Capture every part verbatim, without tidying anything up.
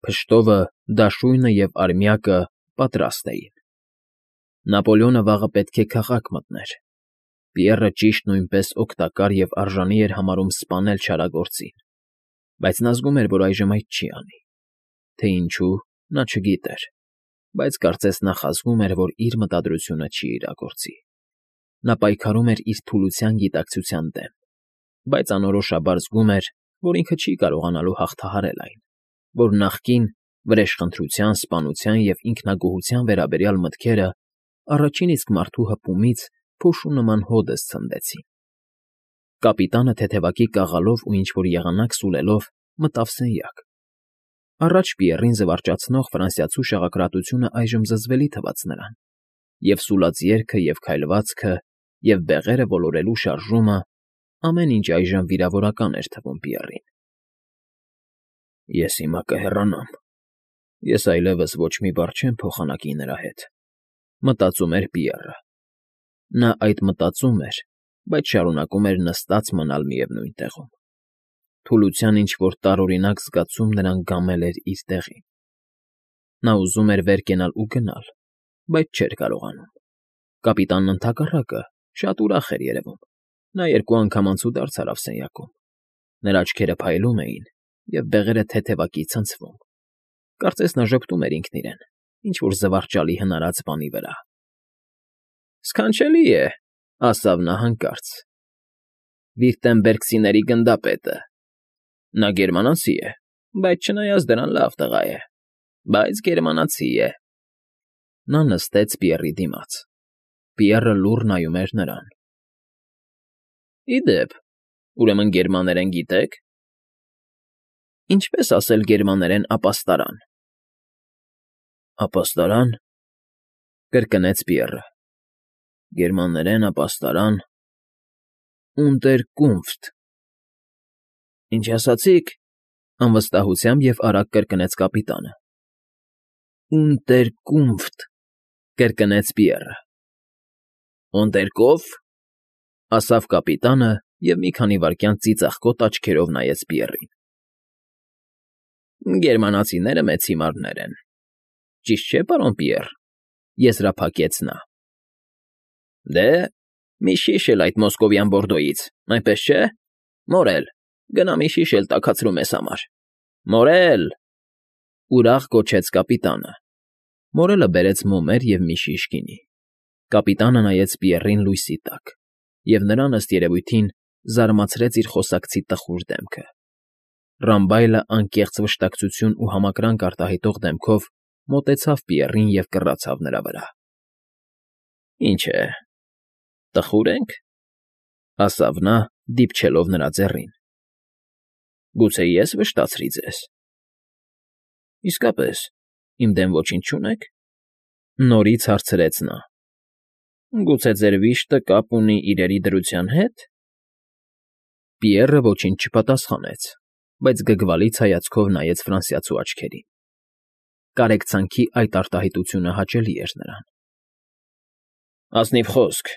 Փշտովը, դաշույնը և արմյակը պատրաստ էին։ Նապոլեոնը վաղը պետք է քաղաք մտներ։ Պիեռը ճիշտ նույնպես օգտակար և արժանի էր համարում սպանել չարագործին, բայց նա զգում էր, որ այժմ այդ չի անի, թե ինչու՝ նա չգիտեր, բայց կարծես նախազգում էր, որ իր մտադրությունը չի իրագործի։ Նա պայքարում էր իր թուլության գիտակցության դեմ, բայց անորոշաբար զգում էր, որ ինքը չի կարողանալու հաղթահարել այն, որ նախկին վրեժխնդրության, սպանության և ինքնագոհության վերաբերյալ մտքերը առաջին իսկ մարդու հպումից փոշու նման հօդս ցնդեցին։ Կապիտանը թեթևակի կաղալով ու ինչ֊որ եղանակ սուլելով մտավ սենյակ։ Առաջ Պիեռին զվարճացնող ֆրանսիացու շաղակրատությունը այժմ զզվելի թվաց նրան, և սուլած երգը, և քայլվածքը, և բեղերը ոլորելու շարժումը, ամեն ինչ այժմ վիրավորական էր թվում Պիեռին։ «Ես հիմա կհեռանամ, ես այլևս ոչ մի բառ չեմ փոխանակի նրա հետ», մտածում էր Պիեռը։ Նա այդ մտածում էր, բայց շարունակում էր նստած մնալ միևնույն տեղում։ Թուլության ինչ֊որ տարօրինակ զգացում նրան գամել էր իր տեղին։ Նա ուզում էր վեր կենալ ու գնալ, բայց չէր կարողանում։ Կապիտանն ընդհակառակը, շատ ուրախ էր երևում. նա երկու անգամ անցուդարձ արավ սենյակում։ Նրա աչքերը փայլում էին, և բեղերը թեթևակի ցնցվում։ Կարծես նա ժպտում էր ինքն իրեն ինչ֊որ զվարճալի հնարած բանի վրա։ «Սքանչելի է,֊ ասավ նա հանկարծ,֊ Վիրտեմբերգցիների գնդապետը։ Նա գերմանացի է, բայց չնայած դրան լավ տղա է, բայց գերմանացի է»։ Նա նստեց Պիեռի դիմաց։ Պիեռը լուռ նայում էր նրան։ «Ի դեպ, ուրեմն գերմաներեն գիտեք»։ «Ինչպես ասել գերմաներեն ապաստարան»։ «Ապաստարան,֊ կրկնեց Պիեռը,֊ գերմաներեն ապաստարան, Ունտերկունֆտ»։ «Ինչ ասացիք,֊ անվստահությամբ և արագ կրկնեց կապիտանը։ «Ունտերկունֆտ,֊ կրկնեց Պիեռը։ «Ունտերկո՞վ,֊ ասավ կապիտանը և մի քանի վայրկյան ծիծաղկոտ աչքերով նայեց Պիեռին։ «Գերմանացիները մեծ հիմարներ են, ճիշտ չէ՞, պարոն Պիեռ,֊ եզրափակեց նա։ Դե, մի շիշ էլ այդ մոսկովյան բորդոյից, այնպես չէ՞։ Մորել, գնա մի շիշ էլ տաքացրու մեզ համար։ Մորել…֊ ուրախ գոչեց կապիտանը։ Մորելը բերեց մոմեր և մի շիշ գինի։ Կապիտանը նայեց Պիեռին լույսի տակ, և նրան, ըստ երևույթին, զարմացրեց իր խոսակցի տխուր դեմքը։ Ռամբայլը անկեղծ վշտակցություն ու համակրանք արտահայտող դեմքով մոտեցավ Պիեռին և կռացավ նրա վրա։ «Ինչ է, տխո՞ւր ենք,֊ ասավ նա, դիպչելով նրա ձեռին։ Գուցե ես վշտացրի ձեզ։ Իսկապես, իմ դեմ ոչինչ չունե՞ք,֊ նորից հարցրեց նա։ Գուցե ձեր վիշտը կապ ունի իրերի դրության հետ։ Պիեռը ոչինչ չպատասխանեց, բայց գգվալից հայացքով նայեց ֆրանսիացու աչքերին։ Կարեկցանքի այդ արտահայտությունը հաճելի էր նրան։ «Ազնիվ խոսք,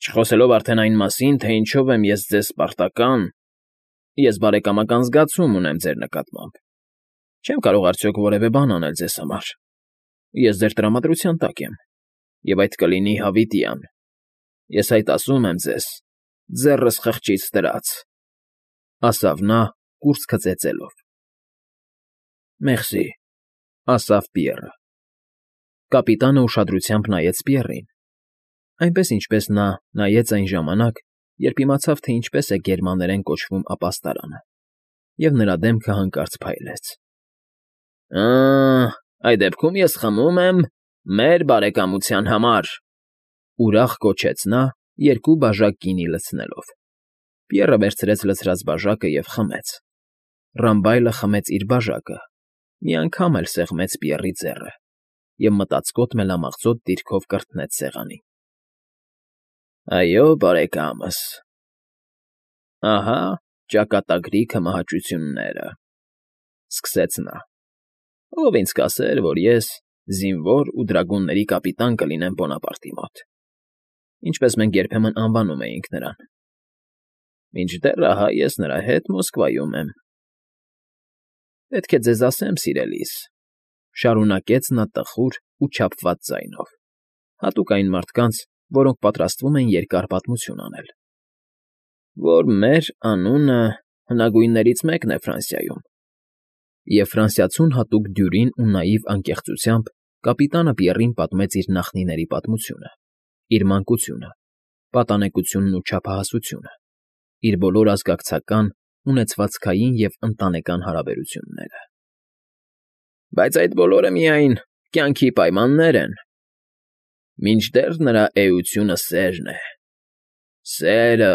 չխոսելով արդեն այն մասին, թե ինչով եմ ես ձեզ պարտական, ես բարեկամական զգացում ունեմ ձեր նկատմամբ։ Չեմ կարող արդյոք որևէ բան անել ձեզ համար։ Ես ձեր տրամադրության տակ եմ, և այդ կլինի հավիտյան։ Ես այդ ասում եմ ձեզ, ձեռս խղճից դրած,֊ ասավ նա, կուրծքը ծեծելով։ «Մերսի,֊ ասավ Պիեռը։ Կապիտանը ուշադրությամբ նայեց Պիեռին, այնպես, ինչպես նա նայեց այն ժամանակ, երբ իմացավ, թե ինչպես է գերմաներեն կոչվում ապաստարանը, և նրա դեմքը հանկարծ փայլեց։ «Ա՜, այդ դեպքում ես խմում եմ մեր բարեկամության համար,֊ ուրախ գոչեց նա, երկու բաժակ գինի լցնելով։ Պիեռը վերցրեց լցրած բաժակը և խմեց։ Ռամբայլը խմեց իր բաժակը, մի անգամ էլ սեղմեց Պիեռի ձեռը և մտածկոտ մելամաղձոտ դիրքով կրթնեց սեղանին։ «Այո, բարեկա՛մս, ահա ճակատագրի քմահաճությունները,֊ սկսեց նա։ Ով ինձ կասեր, որ ես զինվոր ու դրագունների կապիտան կլինեմ Բոնապարտի մոտ, ինչպես մենք երբեմն անվանում էինք նրան։ Մինչդեռ ահա ես նրա հետ Մոսկվայում եմ։ Պետք է ձեզ ասեմ, սիրելիս,֊ շարունակեց նա տխուր ու չափված ձայնով, հատուկ այն մարդկանց, որոնք պատրաստվում են երկար պատմություն անել,֊ որ մեր անունը հնագույններից մեկն է Ֆրանսիայում…֊ Եվ ֆրանսիացուն հատուկ դյուրին ու նաիվ անկեղծությամբ կապիտանը Պիեռին պատմեց իր նախնիների պատմությունը, իր մանկությունը, պատանեկությունն ու չափահասությունը, իր բոլոր ազգակցական, ունեցվածքային և ընտանեկան հարաբերությունները։ «Բայց այդ բոլորը միայն կյանքի պայմաններ են, մինչդեռ նրա էությունը սերն է, սերը…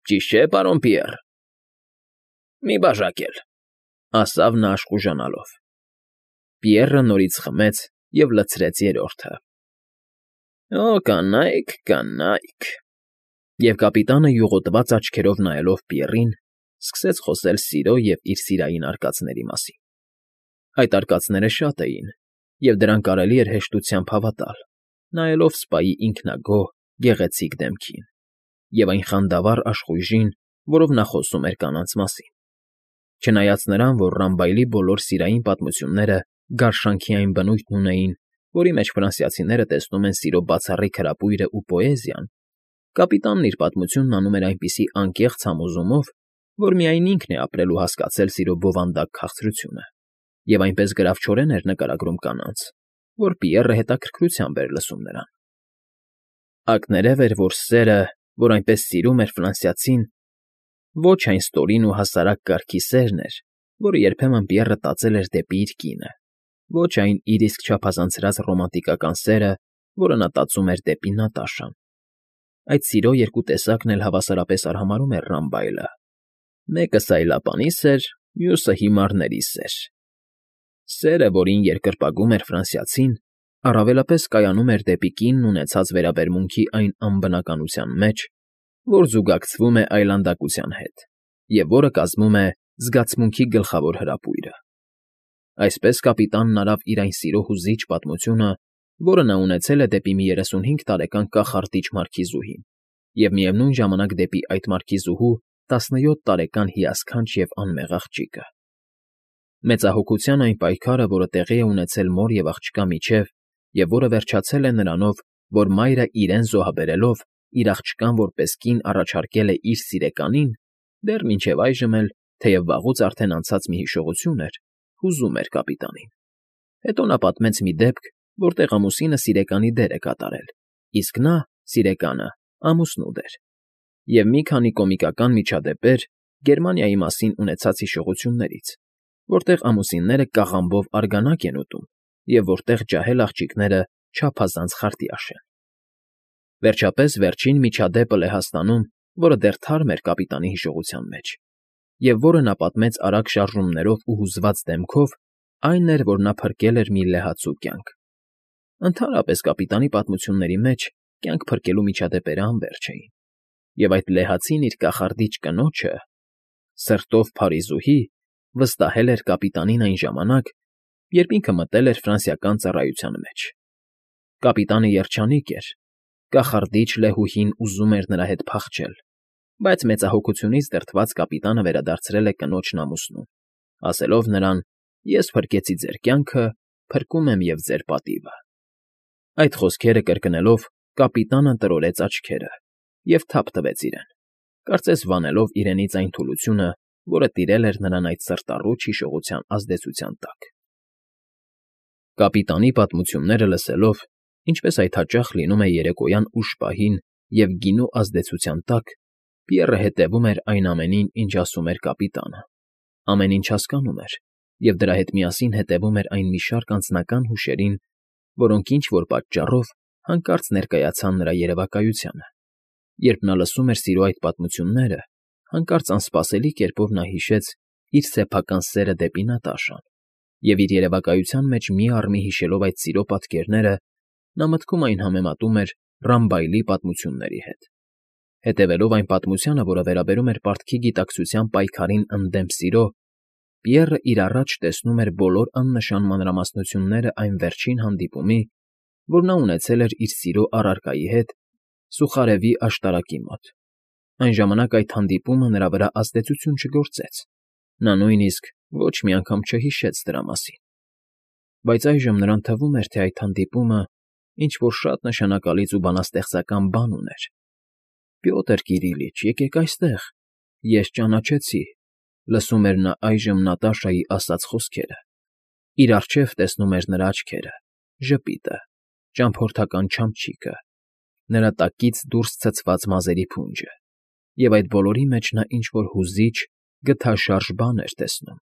Ճիշտ չէ՞, պարոն Պիեռ»։ «Մի բաժակ էլ,֊ ասավ նա աշխուժանալով։ Պիեռը նորից խմեց և լցրեց երրորդը։ «Օ, կանայք, կանայք…» Եվ կապիտանը յուղոտված աչքերով նայելով Պիեռին, սկսեց խոսել սիրո և իր սիրային արկածների մասին։ Այդ արկածները շատ էին, և դրան կարելի էր հեշտությամբ հավատալ, նայելով Սպայի ինքնագոհ, գեղեցիկ դեմքին և այն խանդավառ աշխույժին, որով նա խոսում էր կանանց մասին։ Չնայած նրան, որ Ռամբայլի բոլոր սիրային պատմությունները գարշանքի այն բնույթն ունեին, որի մեջ ֆրանսիացիները տեսնում են սիրո բացառիկ հրապույրն ու պոեզիան, կապիտանն իր պատմությունն անում էր այնպիսի անկեղծ համոզումով, որ միայն ինքն է ապրել ու հասկացել սիրո բովանդակ քաղցրությունը, և այնպես գրավչորեն էր նկարագրում կանանց, որ Պիեռը հետաքրքրությամբ էր լսում նրան։ Ակներև էր, որ սերը, որ այնպես սիրում էր ֆրանսիացին, ոչ այն ստորին ու հասարակ կարգի սերն էր, որը երբեմն Պիեռը տածել էր դեպի իր կինը, ոչ այն իր իսկ չափազանցրած ռոմանտիկական սերը, որը նա տածում էր դեպի Նատաշան։ Այդ սիրո երկու տեսակն էլ հավասարապես արհամարհում էր Ռամբայլը. մեկը սայլապանի սեր, մյուսը հիմարների սեր։ Սերը, որին երկրպագում էր ֆրանսիացին, առավելապես կայանում էր դեպի կինն ունեցած վերաբերմունքի այն անբնականության մեջ, որ զուգակցվում է այլանդակության հետ, և որը կազմում է զգացմունքի գլխավոր հրապույրը։ Այսպես կապիտանն արավ իր այն սիրո հուզիչ պատմությունը, որը նա ունեցել է դեպի մի երեսունհինգ տարեկան կախարդիչ մարքիզուհի և միևնույն ժամանակ դեպի այդ մարքիզուհու տասնյոթ տարեկան հիասքանչ և անմեղ աղջիկը։ Մեծահոգության այն պայքարը, որը տեղի է ունեցել մոր և աղջկա միջև և որը վերջացել է նրանով, որ մայրը իրեն զոհաբերելով իր աղջկան որպես կին առաջարկել է իր սիրեկանին, դեռ մինչև այժմ էլ, թեև վաղուց արդեն անցած մի հիշողություն էր, հուզում էր կապիտանին։ Հետո նա պատմեց մի դեպք, որտեղ ամուսինը սիրեկանի դեր է կատարել, իսկ նա՝ սիրեկանը, ամուսնու դեր, և մի քանի կոմիկական միջադեպեր Գերմանիայի մասին ունեցած հիշողություններից, որտեղ ամուսինները կաղամբով արգանակ են ուտում և որտեղ ջահել աղջիկները չափազանց խարտյաշ են։ Վերջապես վերջին միջադեպը Լեհաստանում, որը դեռ թարմ էր կապիտանի հիշողության մեջ, և որը նա պատմեց արագ շարժումներով ու հուզված դեմքով, այն էր, որ նա փրկել էր մի լեհացու կյանք։ Ընդհանրապես կապիտանի պատմությունների մեջ կյանք փրկելու միջադեպերը անվերջ էին, և այդ լեհացին իր կախարդիչ կնոջը, սրտով փարիզուհի, վստահել էր կապիտանին այն ժամանակ, երբ ինքը մտել էր ֆրանսիական ծառայության մեջ։ Կապիտանը երջանիկ էր, կախարդիչ լեհուհին ուզում էր նրա հետ փախչել, բայց մեծահոգությունից դրդված կապիտանը վերադարձրել է կնոջն ամուսնուն, ասելով նրան. «Ես փրկեցի ձեր կյանքը, փրկում եմ և ձեր պատիվը»։ Այդ խոսքերը կրկնելով կապիտանը տրորեց աչքերը և թափ տվեց իրեն, կարծես վանելով իրենից այն թուլությունը, որը տիրել էր նրան այդ սրտառուչ հիշողության ազդեցության տակ։ Կապիտանի պատմությունները լսելով, ինչպես այդ հաճախ լինում է երեկոյան ուշ պահին և գինու ազդեցության տակ, Պիեռը հետևում էր այն ամենին, ինչ ասում էր կապիտանը, ամեն ինչ հասկանում էր, և դրա հետ միասին հետևում էր այն մի շարք անձնական հուշերին, որոնք ինչ֊որ պատճառով հանկարծ ներկայացան նրա երևակայությանը։ Երբ նա լսում էր սիրո այդ պատմությունները, հանկարծ անսպասելի կերպով նա հիշեց իր սեփական սերը դեպի Նատաշան, և իր երևակայության մեջ մի առ մի հիշելով այդ սիրո պատկերները, նա մտքում այն համեմատում էր Ռամբայլի պատմությունների հետ։ Հետևելով այն պատմությանը, որը վերաբերում էր պարտքի գիտակցության պայքարին ընդդեմ սիրո, Պիեռը իր առաջ տեսնում էր բոլոր աննշան մանրամասնությունները այն վերջին հանդիպումի, որ նա ունեցել էր իր սիրո առարկայի հետ Սուխարևի աշտարակի մոտ։ Այն ժամանակ այդ հանդիպումը նրա վրա ազդեցություն չգործեց։ Նա նույնիսկ Ոչ մի անգամ չհիշեց դրա մասին, բայց այժմ նրան թվում էր, թե այդ հանդիպումը ինչ֊որ շատ նշանակալից ու բանաստեղծական բան ուներ։ «Պյոտր Կիրիլիչ, եկեք այստեղ, ես ճանաչեցի», լսում էր նա այժմ Նատաշայի ասած խոսքերը։ Իր առջև տեսնում էր նրա աչքերը, ժպիտը, ճամփորդական չամչիկը, նրա տակից դուրս ցցված մազերի փունջը, և այդ բոլորի մեջ նա ինչ֊որ հուզիչ, գթաշարժ բան էր տեսնում։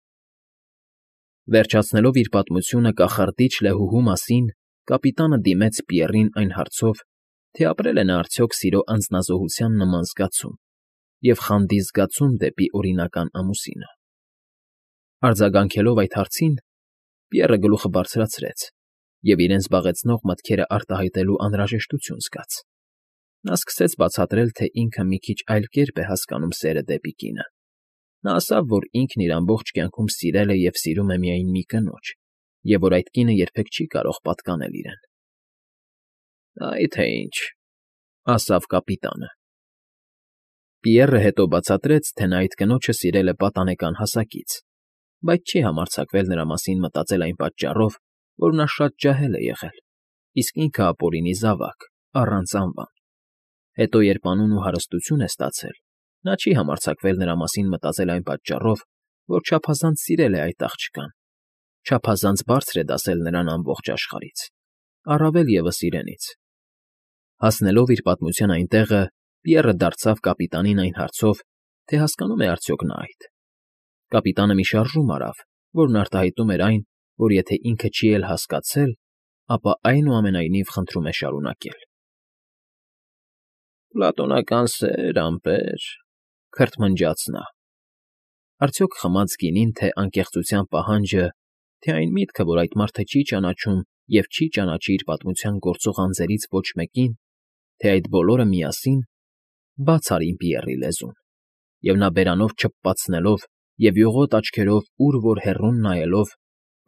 Վերջացնելով իր պատմությունը կախարդիչ լեհուհու մասին, կապիտանը դիմեց Պիեռին այն հարցով, թե ապրել է նա արդյոք սիրո անձնազոհության նման զգացում և խանդի զգացում դեպի օրինական ամուսինը։ Արձագանքելով այդ հարցին, Պիեռը գլուխը բարձրացրեց և իրեն զբաղեցնող մտքերը արտահայտելու անհրաժեշտություն զգաց։ Նա սկսեց բացատրել, թե ինքը մի քիչ այլ կերպ է հասկանում սերը դեպի կինը։ Նա ասավ, որ ինքն իր ամբողջ կյանքում սիրել է և սիրում է միայն մի կնոջ, և որ այդ կինը երբեք չի կարող պատկանել իրեն։ «Այ թե ինչ,֊ ասավ կապիտանը։ Պիեռը հետո բացատրեց, թե նա այդ կնոջը սիրել է պատանեկան հասակից, բայց չի համարձակվել նրա մասին մտածել այն պատճառով, որ նա շատ ջահել է եղել, իսկ ինքը ապօրինի զավակ, առանց անվան։ Հետո, երբ անուն ու հարստություն է ստացել, նա չի համարձակվել նրա մասին մտածել այն պատճառով, որ չափազանց սիրել է այդ աղջկան, չափազանց բարձր է դասել նրան ամբողջ աշխարհից, առավել ևս իրենից։ Հասնելով իր պատմության այն տեղը, Պիեռը դարձավ կապիտանին այն հարցով, թե հասկանո՞ւմ է արդյոք նա այդ։ Կապիտանը մի շարժում արավ, որն արտահայտում էր այն, որ եթե ինքը չի էլ հասկացել, ապա այնուամենայնիվ խնդրում է շարունակել։ «Պլատոնական սեր, ամպեր,֊ քրթմնջաց նա։ Արդյոք խմած գինին, թե անկեղծության պահանջը, թե այն միտքը, որ այդ մարդը չի ճանաչում և չի ճանաչի իր պատմության գործող անձերից ոչ մեկին, թե այդ բոլորը միասին, բաց արին Պիեռի լեզուն, և նա բերանով չփպացնելով և յուղոտ աչքերով ուր որ հեռուն նայելով,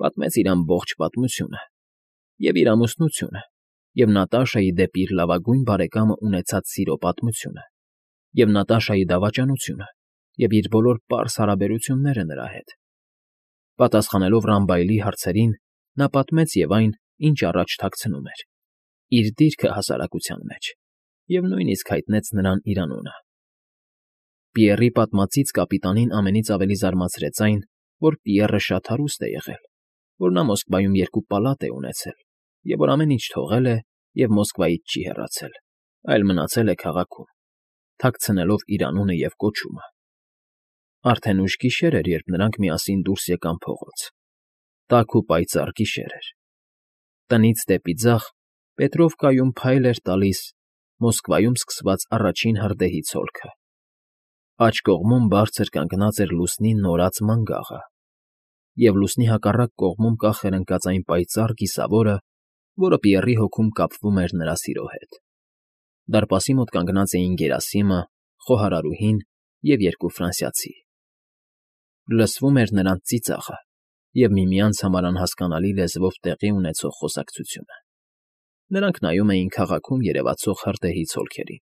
պատմեց իր ամբողջ պատմությունը, և իր ամուսնությունը, և Նատաշայի դեպի իր լավագույն բարեկամը ունեցած սիրո պատմությունը, և Նատաշայի դավաճանությունը, և իր բոլոր պարզ հարաբերությունները նրա հետ։ Պատասխանելով Ռամբայլի հարցերին, նա պատմեց և այն, ինչ առաջ թաքցնում էր, իր դիրքը հասարակության մեջ, և նույնիսկ հայտնեց նրան իր անունը։ Պիեռի պատմածից կապիտանին ամենից ավելի զարմացրեց այն, որ Պիեռը շատ հարուստ է եղել, որ նա Մոսկվայում երկու պալատ է ունեցել, և որ ամեն ինչ թողել է և Մոսկվայից չի հեռացել, այլ մնացել է քաղաքում, թաքցնելով իր անունը և կոչումը։ Արդեն ուշ գիշեր էր, երբ նրանք միասին դուրս եկան փողոց։ Տաք ու պայծառ գիշեր էր։ Տնից դեպի ձախ Պետրովկայում փայլ էր տալիս Մոսկվայում սկսված առաջին հրդեհի ցոլքը։ Աջ կողմում բարձր կանգնած էր լուսնի նորած մանգաղը, և լուսնի հակառակ կողմում կախ էր ընկած այն պայծառ կիսավորը, որը Պիեռի հոգում կապվում էր նրա սիրո հետ։ Դարպասի մոտ կանգնած էին Գերասիմը, խոհարարուհին և երկու ֆրանսիացի։ Լսվում էր նրանց ծիծաղը և միմյանց համար անհասկանալի լեզվով տեղի ունեցող խոսակցությունը։ Նրանք նայում էին քաղաքում երևացող հրդեհի ցոլքերին։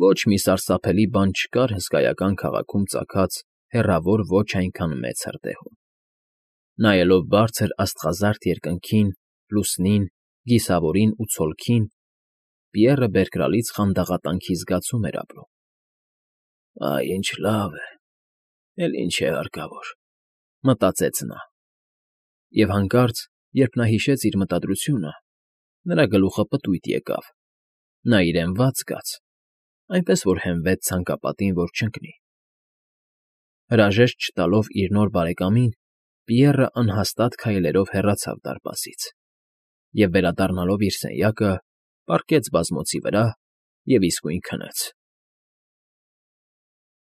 Ոչ մի սարսափելի բան չկար հսկայական քաղաքում ծագած հեռավոր ոչ այնքան մեծ հրդեհում։ Նայելով բարձր աստղազարդ երկնքին, լուսնին, կիսավորին ու ցոլքին, Պիեռը բերկրալից խանդաղատանքի զգացում էր ապրում։ «Այ ինչ լավ է, էլ ինչ է հարկավոր,֊ մտածեց նա։ Եվ հանկարծ, երբ նա հիշեց իր մտադրությունը, նրա գլուխը պտույտ եկավ, նա իրեն վատ զգաց, այնպես որ հենվեց ցանկապատին, որ չընկնի։ Հրաժեշտ չտալով իր նոր բարեկամին, Պիեռը անհաստատ քայլերով հեռացավ դարպասից և, վերադառնալով իր սենյակը, պառկեց բազմոցի վրա և իսկույն քնեց։